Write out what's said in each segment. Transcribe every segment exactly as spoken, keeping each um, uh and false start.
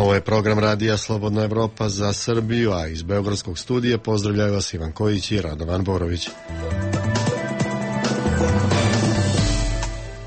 Ovo je program radija Slobodna Evropa za Srbiju, a iz Beogradskog studija pozdravljaju vas Ivan Kojić i Radovan Borović.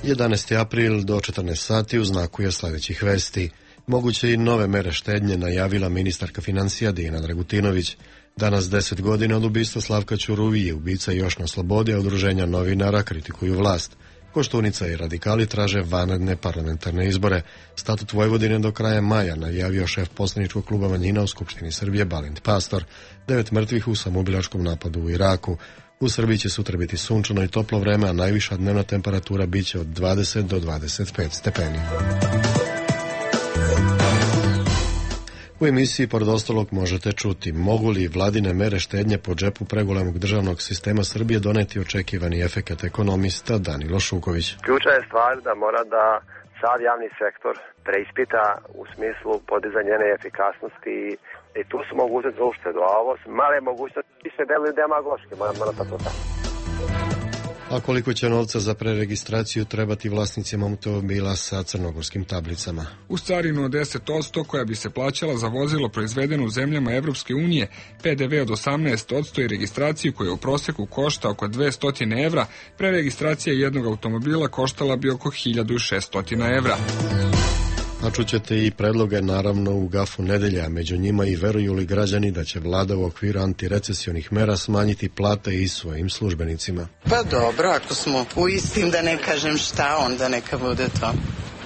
jedanaesti april do četrnaest sati u znaku je sledećih vesti. Moguće i nove mere štednje najavila ministarka financija Dijana Dragutinović. Danas deset godina od ubistva Slavka Ćuruvije, ubica još na slobodi, a udruženja novinara kritikuju vlast. Koštunica i radikali traže vanredne parlamentarne izbore. Statut Vojvodine do kraja maja najavio šef poslaničkog kluba manjina u Skupštini Srbije Balint Pastor. Devet mrtvih u samoubilačkom napadu u Iraku. U Srbiji će sutra biti sunčano i toplo vreme, a najviša dnevna temperatura biće od dvadeset do dvadeset pet stepeni. U emisiji pored ostalog možete čuti mogu li vladine mere štednje po džepu pregolemog državnog sistema Srbije doneti očekivani efekat, ekonomista Danilo Šuković. Ključna je stvar da mora da sad javni sektor preispita u smislu podizanja njene efikasnosti i tu su mogućnosti za uštedu, a ovo su male mogućnosti se deluju demagoške, moram tako tako. A koliko će novca za preregistraciju trebati vlasnicima automobila sa crnogorskim tablicama? Uz carinu od deset posto koja bi se plaćala za vozilo proizvedeno u zemljama Evropske unije, P D V od osamnaest posto i registraciju koja u proseku košta oko dvesta evra, preregistracija jednog automobila koštala bi oko hiljadu šessto evra. A čućete i predloge naravno u gafu nedelja, među njima i veruju li građani da će vlada u okviru antirecesionih mera smanjiti plate i svojim službenicima. Pa dobro, ako smo u istim, da ne kažem šta, onda neka bude to.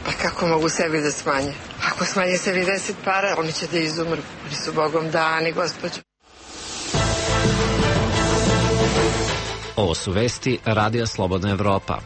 Pa kako mogu sebi da smanje? Ako smanje sebi deset para, oni će da izumru. Oni su Bogom dani, gospođo. Ovo su vesti Radija Slobodna Evropa.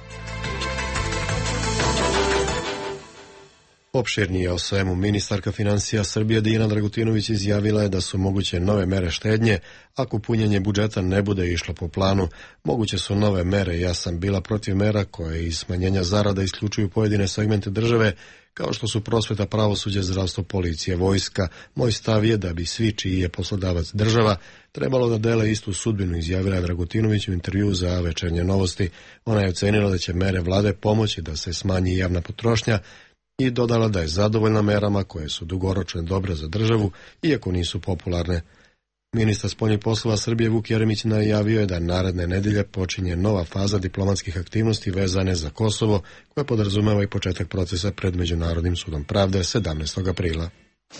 Opširnije o svemu, ministarka financija Srbije Dijana Dragutinović izjavila je da su moguće nove mere štednje ako punjenje budžeta ne bude išlo po planu. Moguće su nove mere, ja sam bila protiv mera koje iz smanjenja zarada isključuju pojedine segmente države, kao što su prosveta, pravosuđe, zdravstvo, policija, vojska. Moj stav je da bi svi čiji je poslodavac država trebalo da dele istu sudbinu, izjavila je Dragutinović u intervjuu za Večernje novosti. Ona je ocenila da će mere vlade pomoći da se smanji javna potrošnja i dodala da je zadovoljna merama koje su dugoročno dobre za državu, iako nisu popularne. Ministar spoljnih poslova Srbije Vuk Jeremić najavio je da naredne nedelje počinje nova faza diplomatskih aktivnosti vezane za Kosovo, koja podrazumeva i početak procesa pred Međunarodnim sudom pravde sedamnaestog aprila.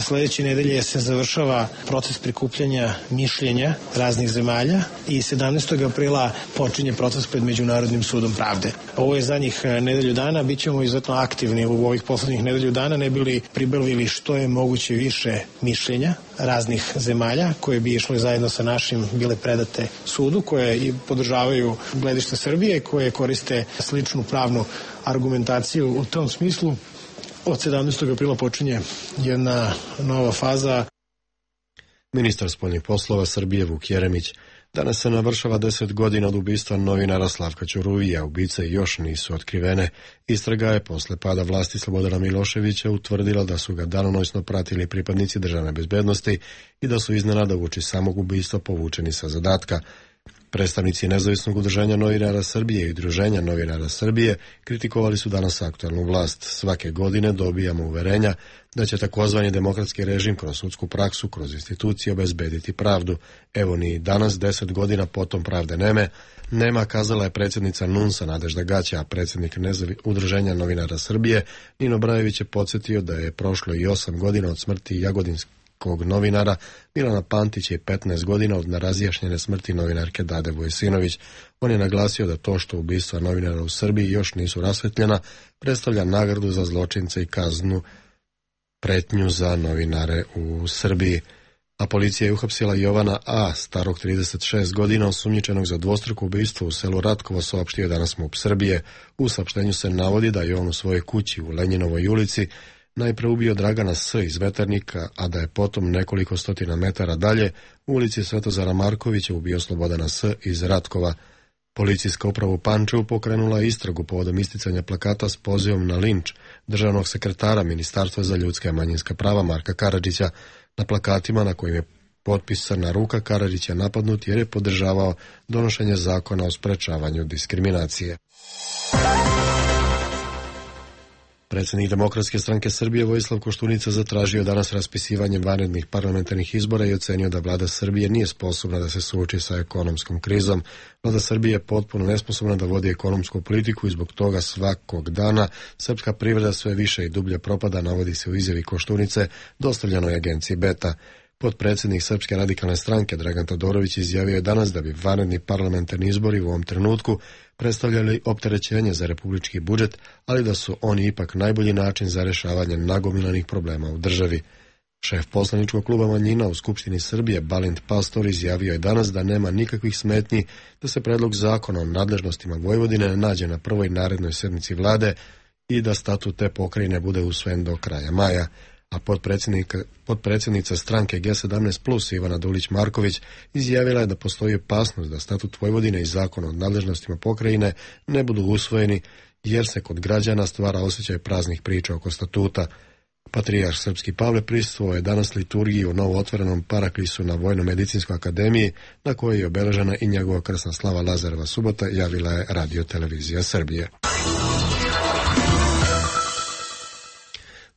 Sledeće nedelje se završava proces prikupljanja mišljenja raznih zemalja i sedamnaestog aprila počinje proces pred Međunarodnim sudom pravde. Ovo je zadnjih nedelju dana, bit ćemo izuzetno aktivni u ovih poslednjih nedelju dana, ne bili pribavili što je moguće više mišljenja raznih zemalja koje bi išle zajedno sa našim bile predate sudu, koje i podržavaju gledište Srbije, koje koriste sličnu pravnu argumentaciju u tom smislu. Od sedamnaestog aprila počinje jedna nova faza. Ministar spoljnih poslova Srbije Vuk Jeremić. Danas se navršava deset godina od ubistva novinara Slavka Ćuruvija. Ubice još nisu otkrivene. Istraga je posle pada vlasti Slobodana Miloševića utvrdila da su ga danonoćno pratili pripadnici državne bezbednosti i da su iznenada uoči samog ubistva povučeni sa zadatka. Predstavnici Nezavisnog udruženja novinara Srbije i Udruženja novinara Srbije kritikovali su danas aktualnu vlast. Svake godine dobijamo uverenja da će takozvani demokratski režim kroz sudsku praksu, kroz institucije obezbediti pravdu. Evo ni danas, deset godina potom pravde neme, nema, kazala je predsjednica NUNS-a Nadežda Gaća, a predsjednik Nezavi... Udruženja novinara Srbije Nino Brajević je podsjetio da je prošlo i osam godina od smrti Jagodinske kog novinara Milana Pantića i petnaest godina od nerazjašnjene smrti novinarke Dade Vujsinović. On je naglasio da to što ubistva novinara u Srbiji još nisu rasvetljena predstavlja nagradu za zločince i kaznu pretnju za novinare u Srbiji. A policija je uhapsila Jovana A., starog trideset šest godina, osumnjičenog za dvostruko ubistvo u selu Ratkovo, saopštio danas MUP Srbije. U saopštenju se navodi da je on u svojoj kući u Lenjinovoj ulici najpre ubio Dragana S. iz Veternika, a da je potom nekoliko stotina metara dalje u ulici Svetozara Markovića ubio Slobodana S. iz Ratkova. Policijska uprava u Pančevu pokrenula istragu povodom isticanja plakata s pozivom na linč državnog sekretara Ministarstva za ljudska i manjinska prava Marka Karadžića. Na plakatima na kojim je potpisana ruka Karadžića napadnut jer je podržavao donošenje zakona o sprečavanju diskriminacije. Predsjednik Demokratske stranke Srbije Vojislav Koštunica zatražio danas raspisivanje vanrednih parlamentarnih izbora i ocenio da vlada Srbije nije sposobna da se suoči sa ekonomskom krizom. Vlada Srbije je potpuno nesposobna da vodi ekonomsku politiku i zbog toga svakog dana srpska privreda sve više i dublje propada, navodi se u izjavi Koštunice dostavljenoj agenciji Beta. Potpredsjednik Srpske radikalne stranke Dragan Todorović izjavio je danas da bi vanredni parlamentarni izbori u ovom trenutku predstavljali opterećenje za republički budžet, ali da su oni ipak najbolji način za rješavanje nagomilanih problema u državi. Šef poslaničkog kluba manjina u Skupštini Srbije Balint Pastor izjavio je danas da nema nikakvih smetnji da se predlog zakona o nadležnostima Vojvodine nađe na prvoj narednoj sednici vlade i da statut te pokrajine bude usvojen do kraja maja. A potpredsjednica stranke G sedamnaest plus Ivana Dulić-Marković izjavila je da postoji opasnost da statut Vojvodine i zakon o nadležnostima pokrajine ne budu usvojeni jer se kod građana stvara osjećaj praznih priča oko statuta. Patrijarh srpski Pavle prisustvovao je danas liturgiji u novootvorenom paraklisu na Vojno-medicinskoj akademiji, na kojoj je obeležena i njegova krsna slava Lazareva subota, javila je Radio televizija Srbije.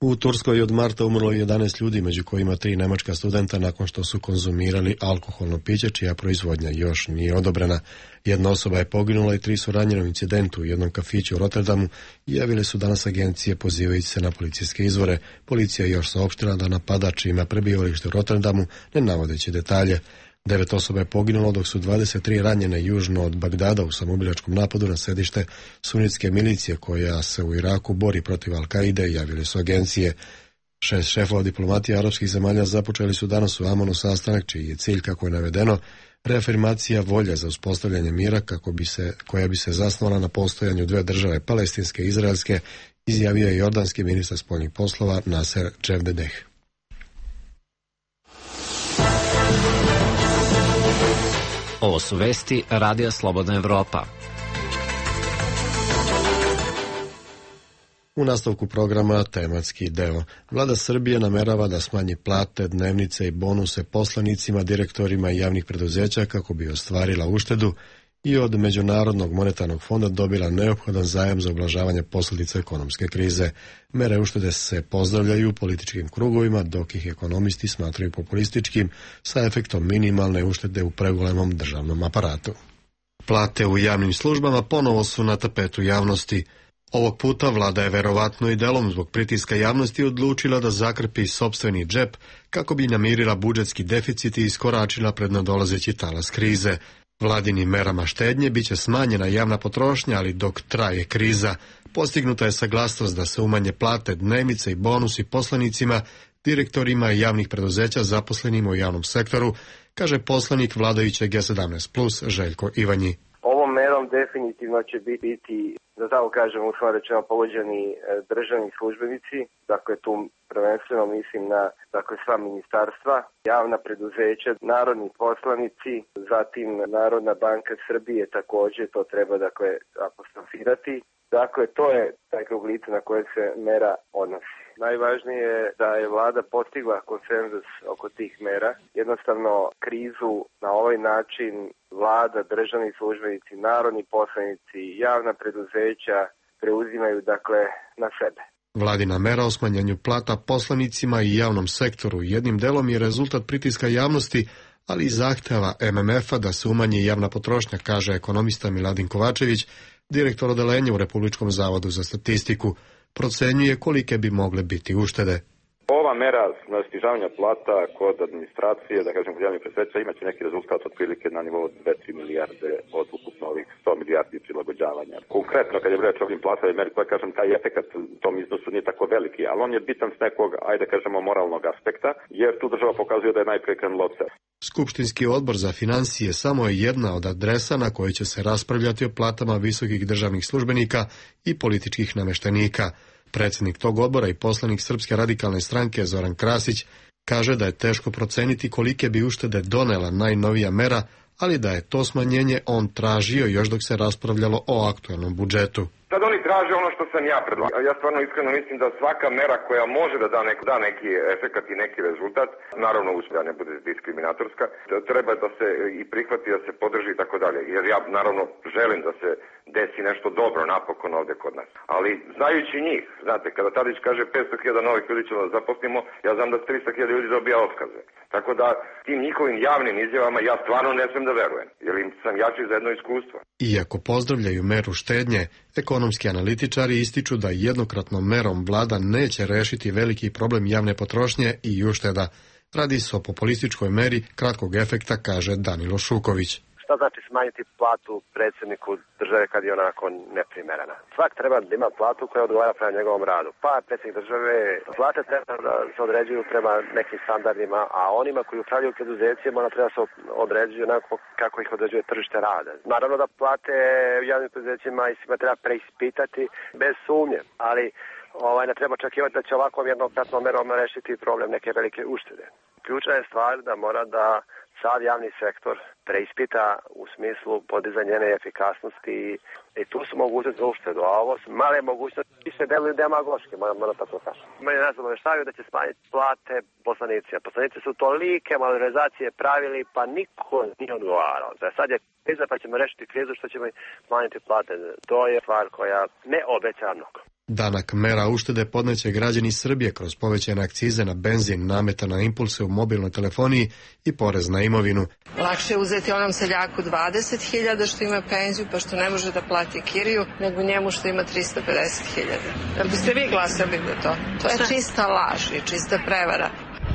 U Turskoj od marta umrlo jedanaest ljudi, među kojima tri nemačka studenta nakon što su konzumirali alkoholno piće, čija proizvodnja još nije odobrena. Jedna osoba je poginula i tri su ranjene u incidentu u jednom kafiću u Rotterdamu, javile su danas agencije pozivajući se na policijske izvore. Policija je još saopštila da napadač ima prebivalište u Rotterdamu, ne navodeći detalje. Devet osoba je poginulo, dok su dvadeset tri ranjene južno od Bagdada u samoubilačkom napadu na sedište sunitske milicije koja se u Iraku bori protiv Al-Kaide, javili su agencije. Šest šefova diplomatije arapskih zemalja započeli su danas u Amanu sastanak, čiji je cilj, kako je navedeno, reafirmacija volje za uspostavljanje mira kako bi se, koja bi se zasnovala na postojanju dve države, palestinske i izraelske, izjavio je jordanski ministar spoljnih poslova Naser Dževdedeh. Ovo su vesti Radija Slobodna Evropa. U nastavku programa tematski deo. Vlada Srbije namerava da smanji plate, dnevnice i bonuse poslanicima, direktorima javnih preduzeća kako bi ostvarila uštedu i od Međunarodnog monetarnog fonda dobila neophodan zajam za ublažavanje posljedica ekonomske krize. Mere uštede se pozdravljaju u političkim krugovima, dok ih ekonomisti smatraju populističkim, sa efektom minimalne uštede u pregolemom državnom aparatu. Plate u javnim službama ponovo su na tapetu javnosti. Ovog puta vlada je verovatno i delom zbog pritiska javnosti odlučila da zakrpi sopstveni džep kako bi namirila budžetski deficit i iskoračila pred nadolazeći talas krize. Vladinim merama štednje biće smanjena javna potrošnja, ali dok traje kriza, postignuta je saglasnost da se umanje plate, dnevnice i bonusi poslanicima, direktorima javnih preduzeća zaposlenima u javnom sektoru, kaže poslanik vladajuće G sedamnaest plus Željko Ivanji. Ovom merom definitivno će biti, da tako kažem, u svom rečeno pogođeni državni službenici, dakle tu prvenstveno mislim na dakle, sva ministarstva, javna preduzeća, narodni poslanici, zatim Narodna banka Srbije također, to treba dakle apostrofirati. Dakle, to je taj krug lica na koje se mera odnosi. Najvažnije je da je vlada postigla konsenzus oko tih mera. Jednostavno, krizu na ovaj način vlada, državni službenici, narodni poslanici, javna preduzeća preuzimaju dakle na sebe. Vladina mera o smanjenju plata poslanicima i javnom sektoru jednim delom je rezultat pritiska javnosti, ali i zahteva M M F-a da se umanji javna potrošnja, kaže ekonomista Miladin Kovačević, direktor odelenja u Republičkom zavodu za statistiku. Procenjuje kolike bi mogle biti uštede. Ova mera na snižavanja plata kod administracije, da kažem kod javnih preduzeća, imaće neki rezultat otprilike na nivou dve do tri milijarde od ukupno ovih sto milijardi prilagođavanja. Konkretno, kad je reč o ovim platama i meri, koja kažem, taj efekat u tom iznosu nije tako veliki, ali on je bitan s nekog, ajde kažemo, moralnog aspekta, jer tu država pokazuje da je najprije krenulo od sebe. Skupštinski odbor za financije samo je jedna od adresa na kojoj će se raspravljati o platama visokih državnih službenika i političkih nameštenika. Predsjednik tog odbora i poslanik Srpske radikalne stranke Zoran Krasić kaže da je teško proceniti kolike bi uštede donela najnovija mera, ali da je to smanjenje on tražio još dok se raspravljalo o aktualnom budžetu. Sad oni oni traže ono što sam ja predlagao. Ja stvarno iskreno mislim da svaka mera koja može da da, nek, da neki efekat i neki rezultat, naravno da ne bude diskriminatorska, treba da se i prihvati, da se podrži i tako dalje. Jer ja naravno želim da se desi nešto dobro napokon ovde kod nas. Ali znajući njih, znate, kada Tadić kaže petsto hiljada novih ljudi ćemo da zaposlimo, ja znam da tristo hiljada ljudi dobija otkaze. Tako da tim njihovim javnim izjavama ja stvarno ne smem da verujem, jer im sam jači za jedno iskustvo. Iako pozdravljaju meru štednje, ekonomski analitičari ističu da jednokratnom merom vlada neće rešiti veliki problem javne potrošnje i ušteda. Radi se o populističkoj meri kratkog efekta, kaže Danilo Šuković. Šta znači smanjiti platu predsjedniku države kad je onako neprimerena? Svak treba da ima platu koja odgovara prema njegovom radu. Pa predsjednik države, plate treba da se određuju prema nekim standardima, a onima koji upravljaju preduzećima ona treba se određuju onako kako ih određuje tržište rada. Naravno da plate u javnim preduzećima i svima treba preispitati bez sumnje, ali ovaj, ne treba očekivati da će ovakvom jednokratnom merom rešiti problem neke velike uštede. Ključna je stvar da mora da sad javni sektor preispita u smislu podizanja njene efikasnosti i tu su mogućnosti za uštedu, a ovo su male mogućnosti i se deluju demagoški, moram tako kažem. Meni nas obaveštavaju da će smanjiti plate poslanici, a poslanici su tolike malorizacije pravili pa niko nije odgovarao. Sad je kriza pa ćemo rešiti krizu što ćemo smanjiti plate. To je stvar koja ne obeća mnogo. Danak mera uštede podneće građani Srbije kroz povećane akcize na benzin, nameta na impulse u mobilnoj telefoniji i porez na imovinu. Lakše je uzeti onom seljaku dvadeset hiljada što ima penziju pa što ne može da plati kiriju, nego njemu što ima trista pedeset hiljada. Da biste vi glasali za to? To je čista laž i čista prevara.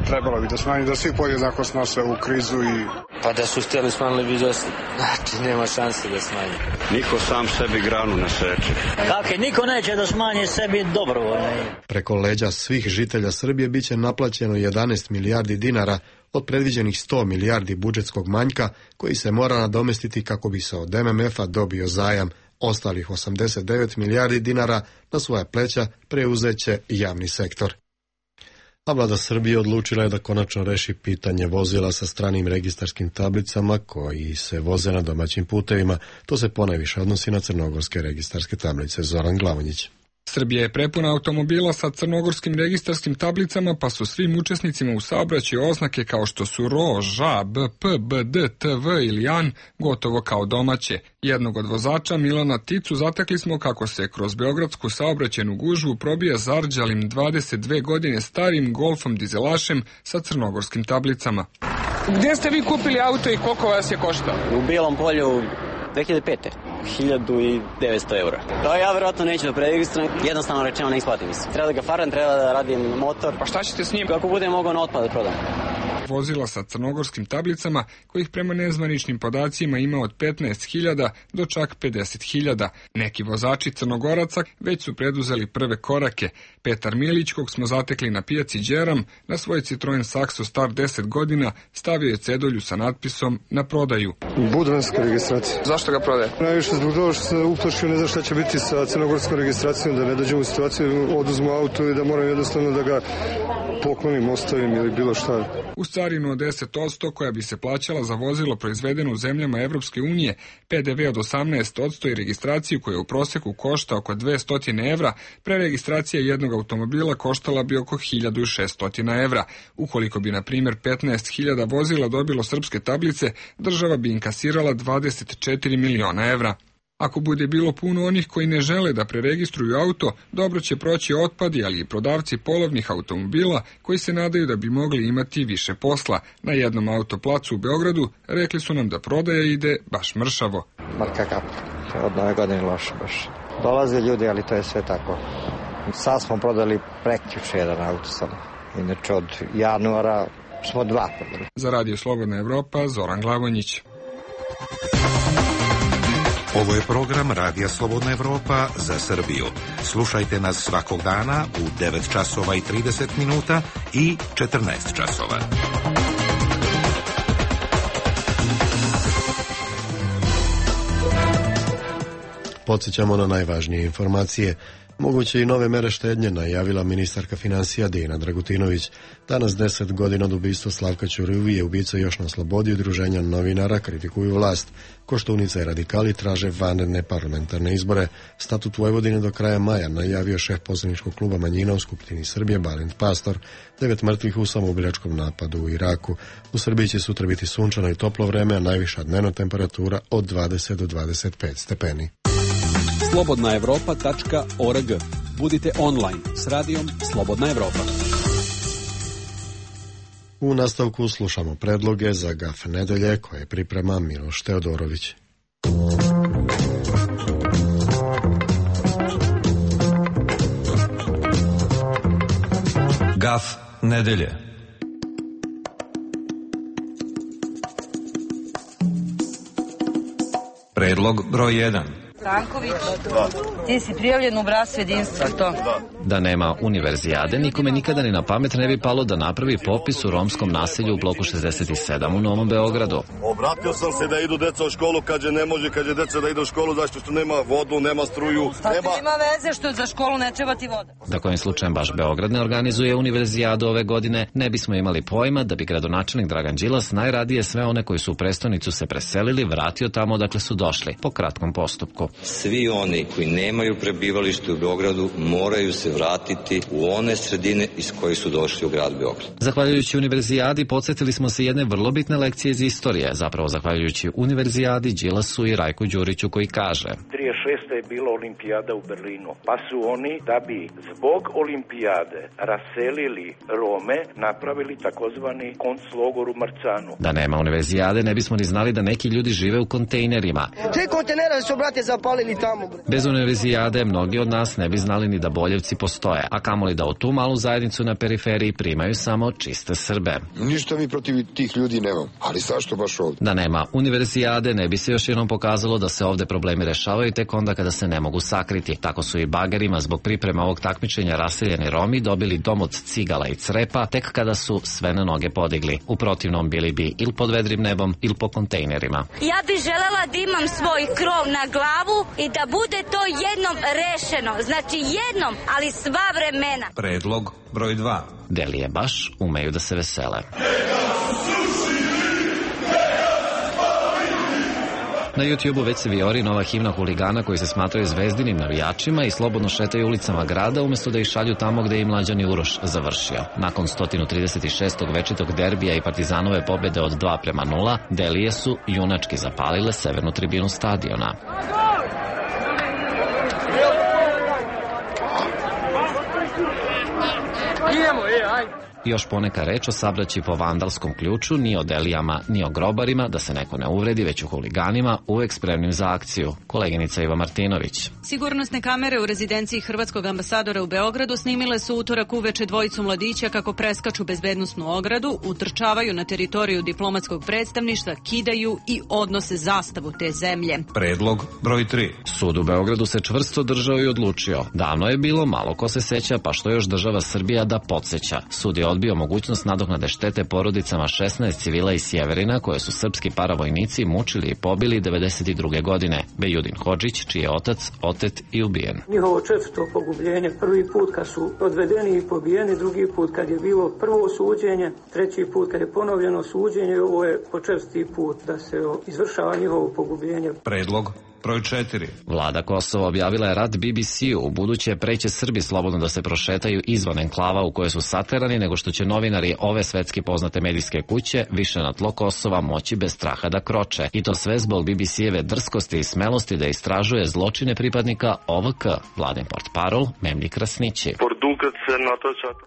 Trebalo bi da smanji, da svi podjednako snose ovu krizu i... Pa da su htjeli smanjili bi da... Znači, nema šanse da smanji. Niko sam sebi granu ne seče. Kako, niko neće da smanji sebi dobrovoljno. Preko leđa svih žitelja Srbije biće naplaćeno jedanaest milijardi dinara od predviđenih sto milijardi budžetskog manjka koji se mora nadomestiti kako bi se od M M F-a dobio zajam. Ostalih osamdeset devet milijardi dinara na svoja pleća preuzeće javni sektor. A vlada Srbije odlučila je da konačno reši pitanje vozila sa stranim registarskim tablicama koji se voze na domaćim putevima. To se ponajviše odnosi na crnogorske registarske tablice. Zoran Glavonjić. Srbija je prepuna automobila sa crnogorskim registarskim tablicama, pa su svim učesnicima u saobraćaju oznake kao što su R O, Ž A, B P, B D, T V ili An gotovo kao domaće. Jednog od vozača, Milana Ticu, zatekli smo kako se kroz beogradsku saobraćajnu gužvu probija zarđalim dvadeset dve godine starim Golfom dizelašem sa crnogorskim tablicama. Gdje ste vi kupili auto i koliko vas je koštao? U Bijelom Polju dve hiljade pete. hiljadu devetsto eura. To ja vjerojatno neću da preregistrujem, jednostavno rečeno ne isplati mi se. Treba da ga faram, treba da radim motor. Pa šta ćete s njim? Kako budem mogao na otpad da prodam. Vozila sa crnogorskim tablicama, kojih prema nezvaničnim podacima ima od petnaest hiljada do čak pedeset hiljada. Neki vozači Crnogoraca već su preduzeli prve korake. Petar Milić, kog smo zatekli na pijaci Đeram, na svoj Citroen Saxo star deset godina stavio je cedulju sa natpisom na prodaju. Budvanska registracija. Zašto ga prodaje? Najviše zbog toga što se uplašio, ne znam šta će biti sa crnogorskom registracijom, da ne dođemo u situaciju, oduzmu auto i da moram jednostavno da ga poklonim, ostavim ili bilo šta. Uz carinu od deset posto koja bi se plaćala za vozilo proizvedeno u zemljama Evropske unije, P D V od osamnaest posto i registraciju koja u proseku košta oko dvesta evra, preregistracija jednog automobila koštala bi oko hiljadu šesto evra. Ukoliko bi, na primjer, petnaest hiljada vozila dobilo srpske tablice, država bi inkasirala dvadeset četiri miliona evra. Ako bude bilo puno onih koji ne žele da preregistruju auto, dobro će proći otpadi, ali i prodavci polovnih automobila koji se nadaju da bi mogli imati više posla. Na jednom autoplacu u Beogradu rekli su nam da prodaja ide baš mršavo. Ma kakav, od nove godine loše baš. Dolaze ljudi, ali to je sve tako. Sad smo prodali prekjuče jedan auto samo. Inače od januara smo dva prodali. Za Radio Slobodna Evropa, Zoran Glavonjić. Ovo je program Radija Slobodna Evropa za Srbiju. Slušajte nas svakog dana u devet časova i trideset minuta i četrnaest časova. Podsjećamo na najvažnije informacije. Moguće i nove mere štednje najavila ministarka financija Dijana Dragutinović. Danas deset godina od ubistva Slavka Ćuruvije, ubica još na slobodi, udruženja novinara kritikuju vlast. Koštunica i radikali traže vanredne parlamentarne izbore. Statut Vojvodine do kraja maja najavio šef poslaničkog kluba manjina u Skupštini Srbije Balint Pastor. Devet mrtvih u samoubilačkom napadu u Iraku. U Srbiji će sutra biti sunčano i toplo vreme, a najviša dnevna temperatura od dvadeset do dvadeset pet stepeni. slobodna evropa tačka org. Budite online s radijom Slobodna Evropa. U nastavku slušamo predloge za Gaf nedelje koje priprema Miloš Teodorović. Gaf nedelje. Predlog broj jedan. Franković, ti si prijavljen u bratstvo jedinstva, to? Da nema univerzijade, nikome nikada ni na pamet ne bi palo da napravi popis u romskom naselju u bloku šezdeset sedam u Novom Beogradu. Obratio sam se da idu deca u školu, kad je ne može, kad je deca da idu u školu, zašto što nema vodu, nema struju. Šta nema... ti ima veze što za školu ne treba ti voda? Da kojim slučajem baš Beograd ne organizuje univerzijadu ove godine, ne bismo imali pojma da bi gradonačelnik Dragan Đilas najradije sve one koji su u prestonicu se preselili vratio tamo odakle su došli, po kratkom postupku. Svi oni koji nemaju prebivalište u Beogradu moraju se vratiti u one sredine iz kojih su došli u grad Beograd. Zahvaljujući univerzijadi podsjetili smo se jedne vrlo bitne lekcije iz istorije, zapravo zahvaljujući univerzijadi, Đilasu i Rajku Đuriću koji kaže: trideset šeste je bila olimpijada u Berlinu, pa su oni da bi zbog olimpijade raselili Rome napravili takozvani konclogor u Marcanu. Da nema univerzijade ne bismo ni znali da neki ljudi žive u kontejnerima. Te kontejnere su, brate, zapalili tamo. Bez univerzijade mnogi od nas ne bi znali ni da Boljevci postoje, a kamoli da u tu malu zajednicu na periferiji primaju samo čiste Srbe. Ništa mi protiv tih ljudi nemam, ali zašto baš ovdje? Da nema univerzijade ne bi se još jednom pokazalo da se ovde problemi rešavaju tek onda kada se ne mogu sakriti. Tako su i bagerima zbog priprema ovog takmičenja raseljeni Romi dobili dom od cigala i crepa tek kada su sve na noge podigli. U protivnom bili bi ili pod vedrim nebom ili po kontejnerima. Ja bih želela da imam svoj krov na glavu i da bude to jednom rešeno. Znači jednom, ali sva vremena. Predlog broj dva. Delije baš umeju da se vesele. Na YouTube-u već se vijori nova himna huligana koji se smatraju zvezdinim navijačima i slobodno šetaju ulicama grada umjesto da ih šalju tamo gde je i Mlađani Uroš završio. Nakon sto trideset šestog večitog derbija i Partizanove pobjede od dva prema nula, Delije su junački zapalile severnu tribinu stadiona. Još poneka reč o sabraći po vandalskom ključu, ni o Delijama, ni o grobarima, da se neko ne uvredi, već o huliganima, uvek spremnim za akciju. Koleginica Iva Martinović. Sigurnosne kamere u rezidenciji hrvatskog ambasadora u Beogradu snimile su utorak uveče dvojicu mladića kako preskaču bezbednosnu ogradu, utrčavaju na teritoriju diplomatskog predstavništva, kidaju i odnose zastavu te zemlje. Predlog broj tri. Sud u Beogradu se čvrsto držao i odlučio. Davno je bilo, malo ko se seća, pa što još država Srbija da podsjeća. Sud je odbio mogućnost nadoknade štete porodicama šesnaest civila iz Sjeverina koje su srpski paravojnici mučili i pobili devedeset druge godine. Bejudin Hodžić, čiji je otac otet i ubijen. Njihovo četvrto pogubljenje, prvi put kad su odvedeni i pobijeni, drugi put kad je bilo prvo suđenje, treći put kad je ponovljeno suđenje, ovo je po četvrti put da se izvršava njihovo pogubljenje. Predlog broj četiri. Vlada Kosova objavila je rat B B C-u, u buduće preće Srbi slobodno da se prošetaju izvan enklava u koje su saterani, nego što će novinari ove svetski poznate medijske kuće više na tlo Kosova moći bez straha da kroče. I to sve zbog B B C-eve drskosti i smelosti da istražuje zločine pripadnika O V K. Vladin portparol Memlji Krasnići.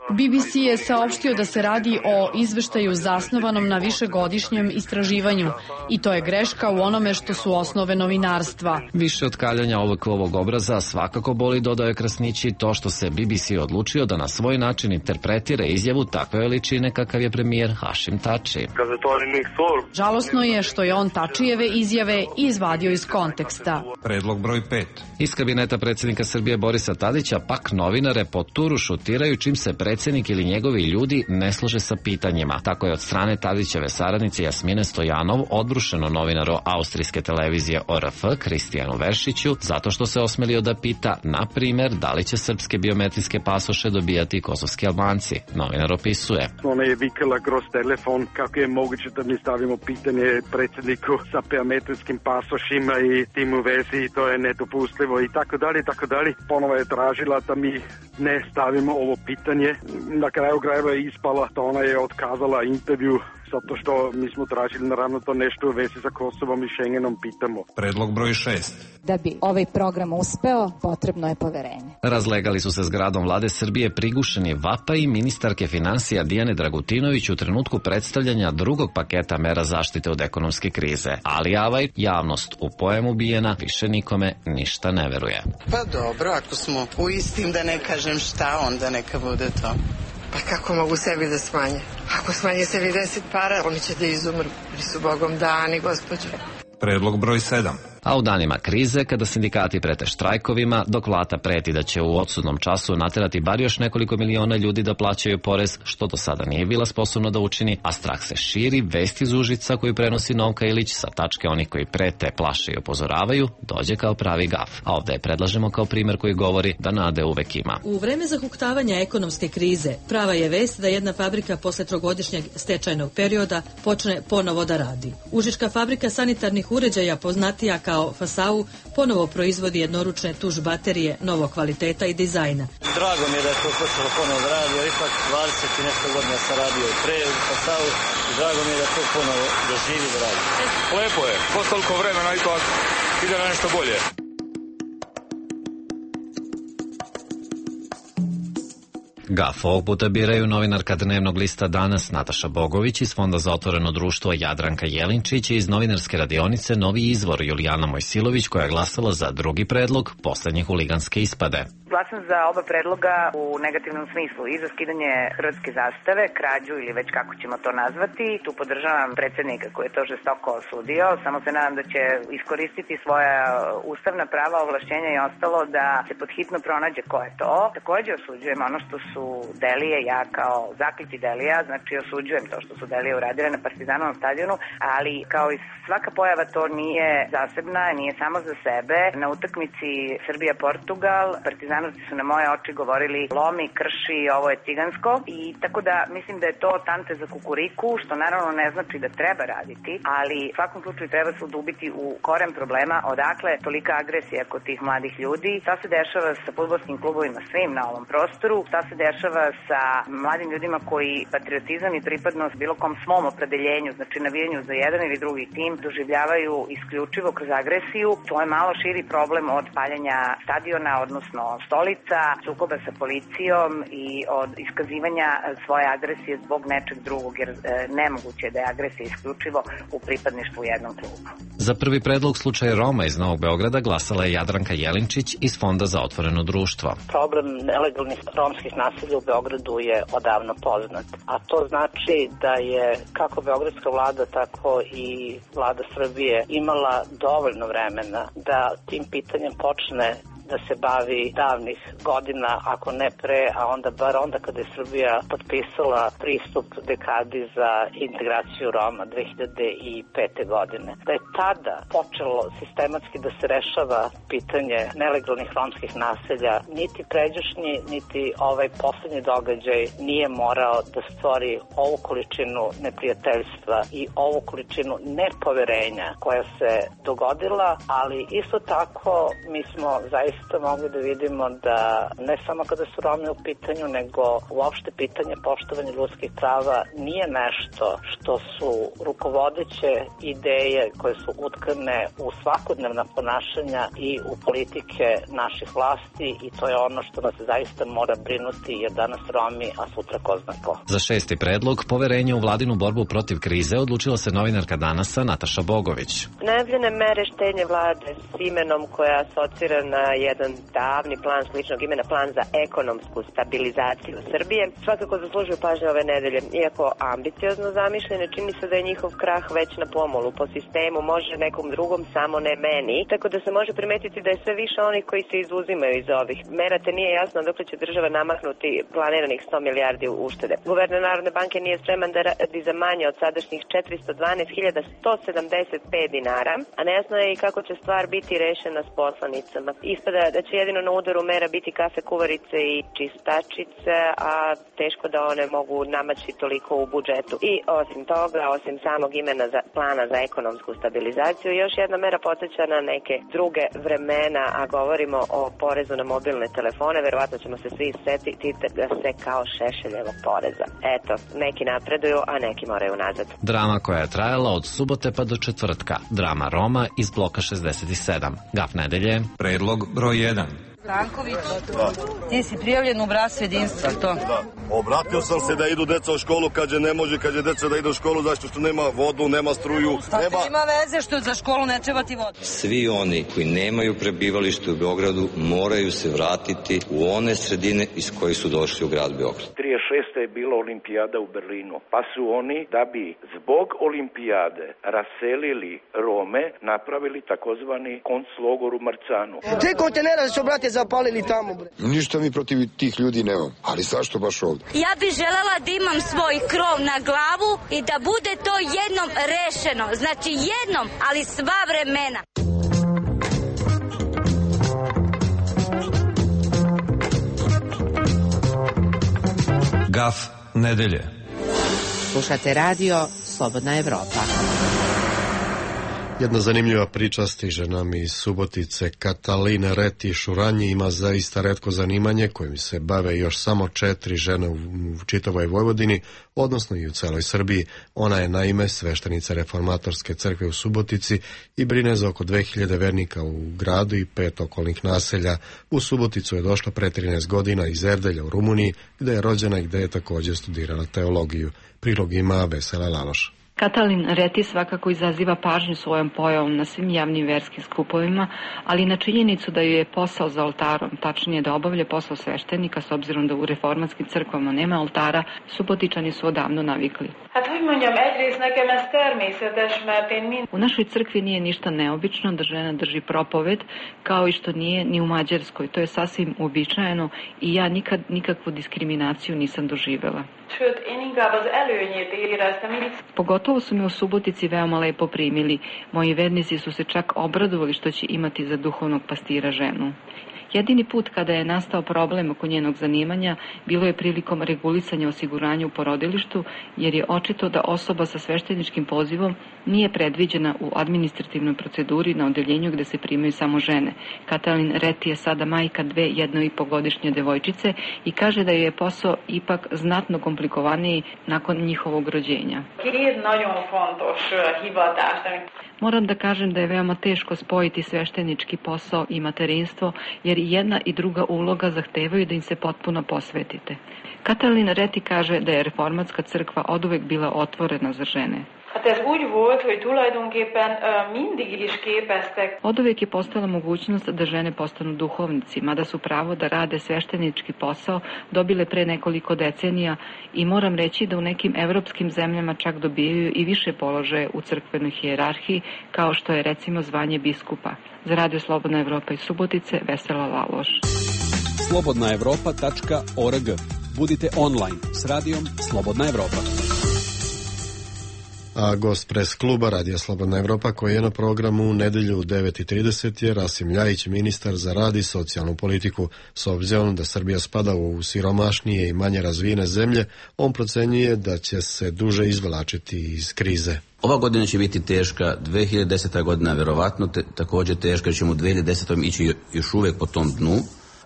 B B C je saopštio da se radi o izveštaju zasnovanom na višegodišnjem istraživanju i to je greška u onome što su osnove novinarstva. Više od kaljanja ovog ovog obraza svakako boli, dodao je Krasnići, to što se B B C odlučio da na svoj način interpretira izjavu takve veličine kakav je premijer Hašim Tači. Žalosno je što je on Tačijeve izjave izvadio iz konteksta. Predlog broj pet. Iz kabineta predsjednika Srbije Borisa Tadića pak novinare po tu razgovoru šutiraju čim se predsjednik ili njegovi ljudi ne slože sa pitanjima. Tako je od strane Tadićeve saradnice Jasmine Stojanov odbrušeno novinaru austrijske televizije O R F Kristijanu Veršiću zato što se osmelio da pita, na primjer, da li će srpske biometrijske pasoše dobijati kosovski Albanci. Novinar opisuje. Ona je vikala kroz telefon kako je moguće da mi stavimo pitanje predsjedniku sa biometrijskim pasošima i tim u vezi i to je nedopustljivo i tako dalje i tako dalje. Ponovo je tražila da mi ne stavimo ovo pitanje. Na kraju krajeva je ispala da ona je otkazala intervju zato što mi smo tražili naravno to nešto u vezi sa Kosovom i Schengenom pitamo. Predlog broj šest. Da bi ovaj program uspeo, potrebno je poverenje. Razlegali su se zgradom vlade Srbije prigušeni vapaji ministarke finansija Dijane Dragutinović u trenutku predstavljanja drugog paketa mera zaštite od ekonomske krize. Ali avaj, javnost u pojem ubijena više nikome ništa ne veruje. Pa dobro, ako smo u istim, da ne kažem šta, onda neka bude to. Pa kako mogu sebi da smanje? Ako smanje sebi deset para, oni će da izumru. Ili su Bogom dani, gospođo. Predlog broj sedam. A u danima krize, kada sindikati prete štrajkovima, dok vlada preti da će u odsudnom času naterati bar još nekoliko miliona ljudi da plaćaju porez, što do sada nije bila sposobna da učini, a strah se širi, vest iz Užica koju prenosi Novka Ilić sa tačke onih koji prete, plaše i upozoravaju, dođe kao pravi gaf. A ovde je predlažemo kao primer koji govori da nade uvek ima. U vreme zahuktavanja ekonomske krize, prava je vest da jedna fabrika posle trogodišnjeg stečajnog perioda počne ponovo da radi. Užička fabrika sanitarnih uređaja, poznatija kao Fasau, ponovo proizvodi jednoručne tuš baterije novog kvaliteta i dizajna. Drago mi je da je to počelo ponovo da radi, jer ipak dvadeset i nešto godina sam radio i pre u Fasau i drago mi je da to ponovo doživi da radi. Lepo je, posle toliko vremena ipak ide na nešto bolje. Gaf ovog puta biraju novinarka dnevnog lista Danas Nataša Bogović iz Fonda za otvoreno društvo Jadranka Jelinčić i iz novinarske radionice Novi izvor Julijana Mojsilović koja je glasala za drugi predlog poslednje huliganske ispade. Glasam za oba predloga u negativnom smislu i za skidanje hrvatske zastave, krađu ili već kako ćemo to nazvati. Tu podržavam predsjednika koji je to žestoko osudio. Samo se nadam da će iskoristiti svoja ustavna prava, ovlašćenja i ostalo da se podhitno pronađe ko je to. Takođe osuđujem ono što su Delije, ja kao zakliti Delija, znači osuđujem to što su Delije uradile na Partizanovom stadionu, ali kao i svaka pojava to nije zasebna, nije samo za sebe. Na utakmici Srbija-Portugal Partizanovci su na moje oči govorili lomi, krši, ovo je cigansko i tako da mislim da je to tante za kukuriku, što naravno ne znači da treba raditi, ali u svakom slučaju treba se udubiti u koren problema odakle tolika agresija kod tih mladih ljudi, šta se dešava sa fudbalskim klubovima svim na ovom prostoru, šta se dešava sa mladim ljudima koji patriotizam i pripadnost bilo kom svom opredeljenju, znači navijanju za jedan ili drugi tim, doživljavaju isključivo kroz agresiju. To je malo širi problem od paljenja stadiona, odnosno stolica, sukoba sa policijom i od iskazivanja svoje agresije zbog nečeg drugog, jer e, nemoguće je da je agresija isključivo u pripadništvu jednom klubu. Za prvi predlog slučaj Roma iz Novog Beograda glasala je Jadranka Jelinčić iz Fonda za otvoreno društvo. Problem nelegalnih romskih naselja u Beogradu je odavno poznat, a to znači da je kako beogradska vlada, tako i vlada Srbije imala dovoljno vremena da tim pitanjem počne da se bavi davnih godina, ako ne pre, a onda bar onda kada je Srbija potpisala pristup dekadi za integraciju Roma dve hiljade pete. godine. Da je tada počelo sistematski da se rešava pitanje nelegalnih romskih naselja, niti pređašnji, niti ovaj poslednji događaj nije morao da stvori ovu količinu neprijateljstva i ovu količinu nepoverenja koja se dogodila, ali isto tako mi smo zaista mogli da vidimo da ne samo kada su Romi u pitanju, nego uopšte pitanje poštovanja ljudskih prava nije nešto što su rukovodeće ideje koje su utkane u svakodnevna ponašanja i u politike naših vlasti i to je ono što nas zaista mora brinuti, jer danas Romi, a sutra ko zna ko. Za šesti predlog poverenje u vladinu borbu protiv krize odlučila se novinarka Danasa Nataša Bogović. Najavljene mere štednje vlade s imenom koja asocira na jedan davni plan sličnog imena, plan za ekonomsku stabilizaciju Srbije. Svakako zaslužuju pažnje ove nedelje. Iako ambiciozno zamišljene, čini se da je njihov krah već na pomolu. Po sistemu može nekom drugom, samo ne meni. Tako da se može primetiti da je sve više onih koji se izuzimaju iz ovih mera, te nije jasno dokle će država namaknuti planiranih sto milijardi uštede. Guverner Narodne banke nije spreman da radi za manje od sadašnjih četiristo dvanaest hiljada sto sedamdeset pet dinara, a nejasno je i kako će stvar biti rešena s poslanicama. Ispada da će jedino na udaru mera biti kafe kuvarice i čistačice, a teško da one mogu namaći toliko u budžetu. I osim toga, osim samog imena za plana za ekonomsku stabilizaciju, još jedna mera podsjeća na neke druge vremena, a govorimo o porezu na mobilne telefone. Verovatno ćemo se svi setiti da se kao Šešeljevog poreza. Eto, neki napreduju, a neki moraju nazad. Drama koja je trajala od subote pa do četvrtka. Drama Roma iz bloka šezdeset sedam. Gaf nedelje. Predlog broj jedan. Branković, ti si prijavljen u bratstvo jedinstva, to? Da. Obratio sam se da idu deca u školu, kad je ne može, kad je deca da idu u školu, zašto što nema vodu, nema struju. Šta nema... ima veze što za školu ne treba ti vodu? Svi oni koji nemaju prebivalište u Beogradu moraju se vratiti u one sredine iz koje su došli u grad Beograd. trideset šesta je bila olimpijada u Berlinu, pa su oni, da bi zbog olimpijade raselili Rome, napravili takozvani konclogor u Marcanu. Tri kontenera su, brate, zapalili tamo, bre. Ništa mi protiv tih ljudi nemam, ali zašto baš ovdje? Ja bih želela da imam svoj krov na glavu i da bude to jednom rešeno. Znači jednom, ali sva vremena. Gaf nedelje. Slušate radio Slobodna Evropa. Jedna zanimljiva priča stiže nam iz Subotice. Katalina Reti Šuranji ima zaista retko zanimanje kojim se bave još samo četiri žene u čitavoj Vojvodini, odnosno i u celoj Srbiji. Ona je naime sveštenica Reformatorske crkve u Subotici i brine za oko dve hiljade vernika u gradu i pet okolnih naselja. U Suboticu je došla pre trinaest godina iz Erdelja u Rumuniji, gde je rođena i gde je također studirala teologiju. Prilog ima Vesela Laloš. Katalin Reti svakako izaziva pažnju svojom pojavom na svim javnim verskim skupovima, ali na činjenicu da joj je posao za oltarom, tačnije da obavlja posao sveštenika, s obzirom da u reformatskim crkvama nema oltara, Subotičani su odavno navikli. U našoj crkvi nije ništa neobično da žena drži propoved, kao i što nije ni u Mađarskoj. To je sasvim uobičajeno i ja nikad nikakvu diskriminaciju nisam doživela. Pogotovo su me u Subotici veoma lepo primili. Moji vernici su se čak obradovali što će imati za duhovnog pastira ženu. Jedini put kada je nastao problem oko njenog zanimanja bilo je prilikom regulisanja osiguranja u porodilištu, jer je očito da osoba sa svešteničkim pozivom nije predviđena u administrativnoj proceduri na odeljenju gde se primaju samo žene. Katalin Reti je sada majka dve jedno i po godišnje devojčice i kaže da je posao ipak znatno komplikovaniji nakon njihovog rođenja. Moram da kažem da je veoma teško spojiti sveštenički posao i materinstvo, jer jedna i druga uloga zahtevaju da im se potpuno posvetite. Katalin Reti kaže da je reformatska crkva oduvek bila otvorena za žene. Oduvek je postala mogućnost da žene postanu duhovnici, mada su pravo da rade sveštenički posao dobile pre nekoliko decenija i moram reći da u nekim evropskim zemljama čak dobijaju i više položaje u crkvenoj hijerarhiji, kao što je recimo zvanje biskupa. Za Radio Slobodna Evropa iz Subotice, Vesela Laloš. slobodna evropa tačka org. Budite online s radijom Slobodna Evropa. A gost pres kluba Radija Slobodna Evropa koji je na programu u nedelju u devet i trideset je Rasim Ljajić, ministar za rad i socijalnu politiku. S obzirom da Srbija spada u siromašnije i manje razvijene zemlje, on procenjuje da će se duže izvlačiti iz krize. Ova godina će biti teška, dve hiljade deseta godina verovatno te, također teška, ćemo u dve hiljade desetoj ići još uvek po tom dnu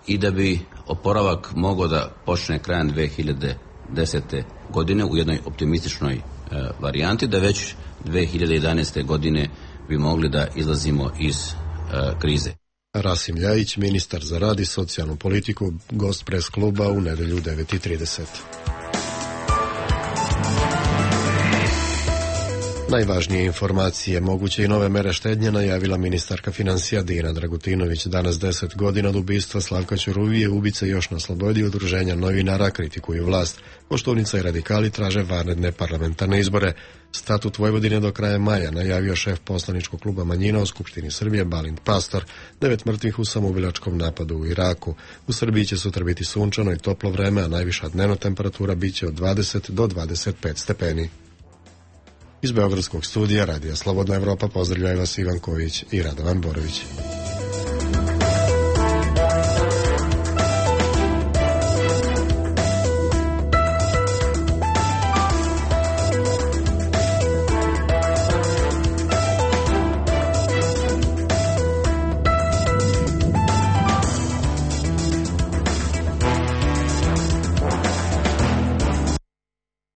i da bi oporavak mogao da počne krajem dve hiljade desete godine u jednoj optimističnoj varijanti, da već dve hiljade jedanaeste godine bi mogli da izlazimo iz uh, krize. Rasim Ljajić, ministar za rad i socijalnu politiku, gost pres kluba u nedelju u devet i trideset. Najvažnije informacije, moguće i nove mere štednje najavila ministarka financija Dijana Dragutinović. Danas deset godina od ubistva Slavka Ćuruvije, ubice još na slobodi, udruženja novinara kritikuju vlast. Koštunica i radikali traže vanredne parlamentarne izbore. Statut Vojvodine do kraja maja najavio šef poslaničkog kluba manjina u Skupštini Srbije Balint Pastor. Devet mrtvih u samoubilačkom napadu u Iraku. U Srbiji će sutra biti sunčano i toplo vreme, a najviša dnevna temperatura biće od dvadeset do dvadeset pet stepeni. Iz Beogradskog studija Radija Slobodna Evropa pozdravljaju vas Ivan Ković i Radovan Borović.